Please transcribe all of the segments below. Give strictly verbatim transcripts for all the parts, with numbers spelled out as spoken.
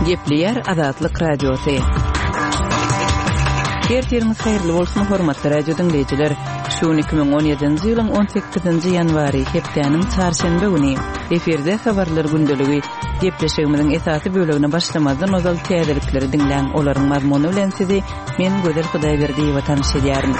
Gepleýär Azatlyk Radiosy. Ertiriňiz haýyrly bolsun, hormatly radio diňleýjiler. Şu gün iki müň on ýedinji ýylyň on sekizinji ýanwary, hepdäniň çarşenbe güni. Efirde habarlar gündeligi. Gepleşigimiziň esasy bölegine başlamazdan ozal täzelikleri diňläň. Olaryň mazmuny bilen sizi men Gözel Hudaýberdiýewa tanyş edýärin.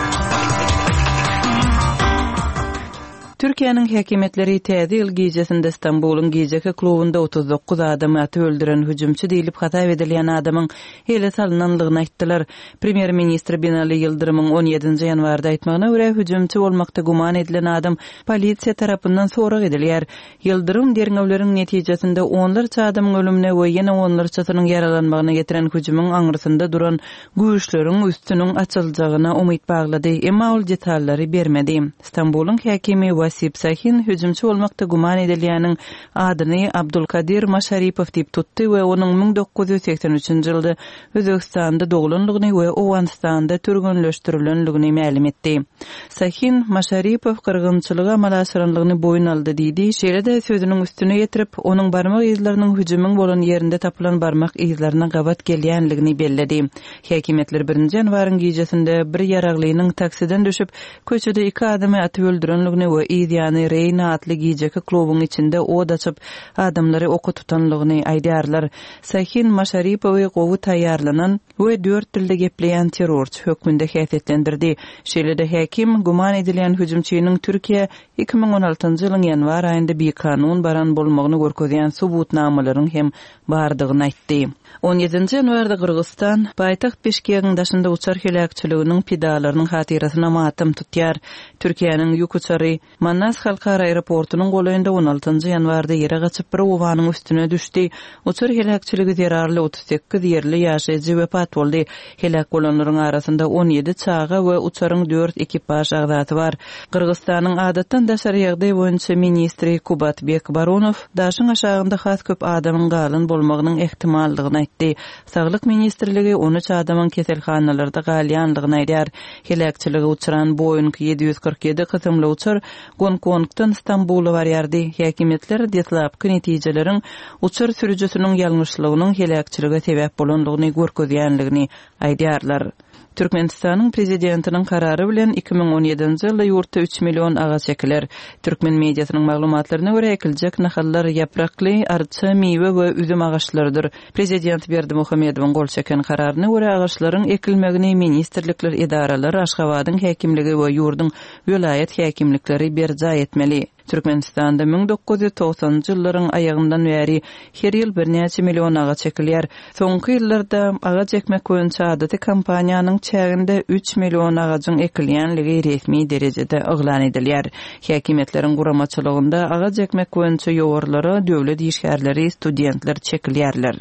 Türkiýäniň häkimiýetleri Täze ýyl gijesinde Stambulyň gijeki klubunda otuz dokuz adamy atyp öldüren hüjümçi diýlip hasap edilýän adamyň ele salnanlygyny aýtdylar. Premýer-ministr Binali Ýyldyrymyň on ýedinji ýanwarda aýtmagyna görä, hüjümçi bolmakda güman edilen adam polisiýa tarapyndan sorag edilýär. Ýyldyrym derňewleriň netijesinde onlarça adamyň ölümine we ýene onlarçasynyň ýaralanmagyna getiren hüjümiň aňyrsynda duran güýçleriň üstüniň açyljagyna umyt baglady, emma ol detallary bermedi. Stambulyň häkimi Wasip Sahin hüjümçi bolmakda güman edilýäniň adyny Abdulkadir Maşaripow diýip tutdy we onuň müň dokuz ýüz segsen üçünji ýylda Özbegistanda doglanlygyny we Owganystanda türgenleşdirilenligini mälim etdi. Sahin Maşaripow gyrgynçylygy amala aşyranlygyny boýun aldy diýdi, şeýle-de sözüniň üstüne ýetirip, onuň barmak yzlarynyň hüjümiň bolan ýerinde tapylan barmak yzlaryna gabat gelýänligini belledi. Häkimiýetler birinji ýanwaryň gijesinde bir ýaraglynyň taksiden düşüp, köçede iki adamy atyp öldürenligini we yzýany Reýna atly gijeki klubuň içinde od açyp, adamlary oka tutanlygyny aýdýarlar. Sahin Maşaripowy gowy taýýarlanan we dört dilde gepleýän terrorçy hökmünde häsiýetlendirdi. Şeýle-de häkim güman edilýän hüjümçiniň Türkiýe iki müň on altynjy ýylyň ýanwar aýynda bikanun baran bolmagyny görkezýän subutnamalaryň hem bardygyny aýtdy. On ýedinji ýanwarda Gyrgyzystan paýtagt Bişkegiň daşynda uçar heläkçiliginiň pidalarynyň hatyrasyna matam tutýar. Türkiýäniň ýük uçary Manas halkara aeroportunyň golaýynda on altynjy ýanwarda ýere gaçyp bir obanyň üstüne düşdi. Uçar heläkçiligi zerarly otuz sekiz ýerli ýaşaýjy wepat boldy. Heläk bolanlaryň arasynda on ýedi çaga we uçaryň dört ekipaž agzasy bar. Gyrgyzystanyň adatdan daşary ýagdaý boýunça ministri Kubatbek Baronow daşyň aşagynda has köp adamyň galan bolmagynyň ähtimallygyny aýtdy. Saglyk ministrligi on üç adamyň keselhanalarda galýanlygyny aýdýar. Heläkçiligi uçran Boeing ýedi ýüz kyrk ýedi kysymly uçar Gonkongdan Stambula barýardy. Häkimiýetler deslapky netijeleriň uçar sürüjisiniň ýalňyşlygynyň heläkçilige sebäp bolanlygyny görkezýänligini aýdýarlar. Türkmenistanyň prezidentiniň karary bilen iki müň on ýedinji ýylda ýurtda üç million agaç ekiler. Türkmen mediasynyň maglumatlaryna görä ekiljek nahallar ýaprakly, arça, miwe we üzüm agaçlarydyr. Prezident Berdimuhamedowyň gol çeken kararyna görä agaçlaryň ekilmegini ministrlikler, edaralar, Aşgabadyň häkimligi we ýurduň welaýat häkimlikleri berjaý etmeli. Türkmenistanda müň dokuz ýüz togsanjy ýyllaryň aýagyndan bäri her ýyl birnäçe million agaç ekilýär. Soňky ýyllarda agaç ekmek boýunça adaty kompaniýanyň çäginde üç million agajyň ekilýänligi resmi derejede yglan edilýär. Häkimiýetleriň guramaçylygynda agaç ekmek boýunça ýowarlara döwlet işgärleri, studentler çekilýärler.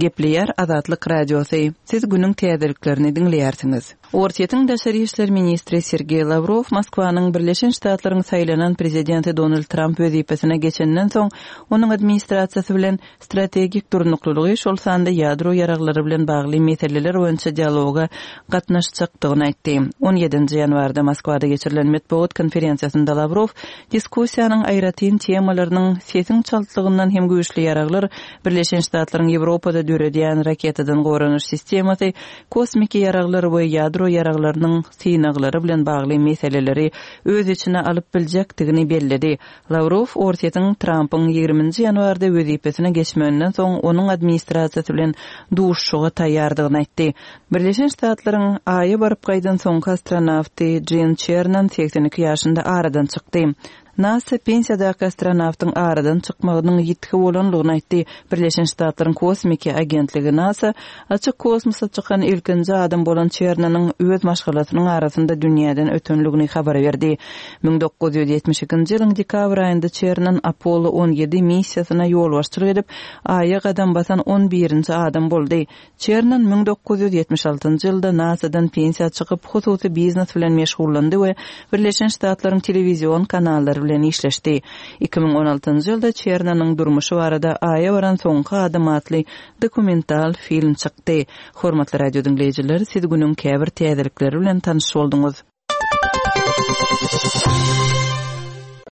Gepleýär Azatlyk Radiosy. Siz günüň täzeliklerini diňleýärsiňiz. Orsýetiň daşary işler ministri Sergey Lavrov Moskwanyň Birleşen Ştatlaryň saýlanan prezidenti Donald Trump wezipesine geçenden soň onuň administrasiýasy bilen strategik durnuklylygy, şol sanda ýadro ýaraglary bilen bagly meseleler boýunça dialoga gatnaşjakdygyny aýtdy. on ýedinji ýanwarda Moskwada geçirilen metbugat konferensiýasynda Lavrov diskussiýanyň aýratyn temalarynyň sesiň çaltlygyndan hem güýçli ýaraglar, Birleşen Ştatlaryň Ýewropada döredýän raketadan goranyş sistemasy, kosmiki ýaraglar we ýadro ýaraglarynyň synaglary bilen bagly meseleleri öz içine alyp biljekdigini belledi. Lavrov Orsýetiň Trumpyň ýigriminji ýanwarda wezipesine geçmeginden soň onuň administrasiýasy bilen duşuşyga taýýardygyny aýtdy. Birleşen Ştatlaryň Aýa baryp gaýdan soňky astronawty Jim Çernan seksen iki ýaşynda aradan çykdy. NASA pensiýadaky astronawtyň aradan çykmagynyň ýitgi bolanlygyny aýtdy. Birleşen Ştatlaryň kosmiki agentligi NASA açyk kosmosa çykan ilkinji adam bolan Çernanyň öz maşgalasynyň arasynda dünýäden ötenligini habar berdi. Müň dokuz ýüz ýetmiş ikinji ýylyň dekabr aýynda Çernan Apollo on ýedi missiýasyna ýolbaşçylyk edip, Aýa gadam basan on birinji adam boldy. Çernan müň dokuz ýüz ýetmiş altynjy ýylda NASAdan pensiýa çykyp, hususy biznes bilen meşgullandy we Birleşen Ştatlaryň telewizion kanallary bilen işleşdi. Iki müň on altynjy ýylda Çernanyň durmuşy barada Aýa baran soňky adam atly dokumental film çykdy. Hormatly radio diňleýjiler, siz günüň käbir täzelikleri bilen tanyş bolduňyz.